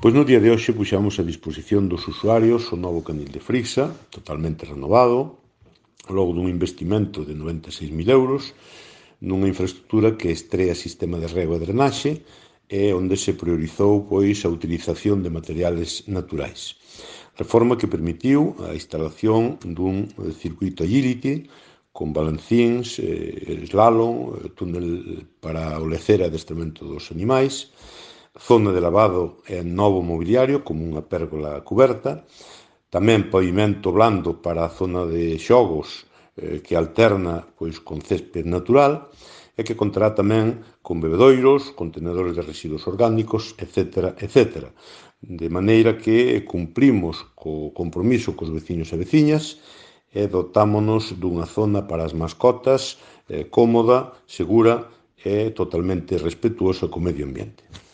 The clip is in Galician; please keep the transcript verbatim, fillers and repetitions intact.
Pois no día de hoxe puxamos a disposición dos usuarios o novo canil de Frixa, totalmente renovado, logo dun investimento de noventa e seis mil euros, nunha infraestructura que estrea sistema de rego e drenaxe e onde se priorizou pois a utilización de materiales naturais. Reforma que permitiu a instalación dun circuito agility con balancíns, eh, slalom, túnel para o lecer e adestramento dos animais, zona de lavado e novo mobiliario como unha pérgola cuberta, tamén pavimento blando para a zona de xogos eh, que alterna pois con césped natural e que contará tamén con bebedoiros, contenedores de residuos orgánicos, etcétera, etcétera. De maneira que cumprimos co compromiso cos veciños e veciñas e dotámonos dunha zona para as mascotas eh, cómoda, segura e totalmente respetuosa co medio ambiente.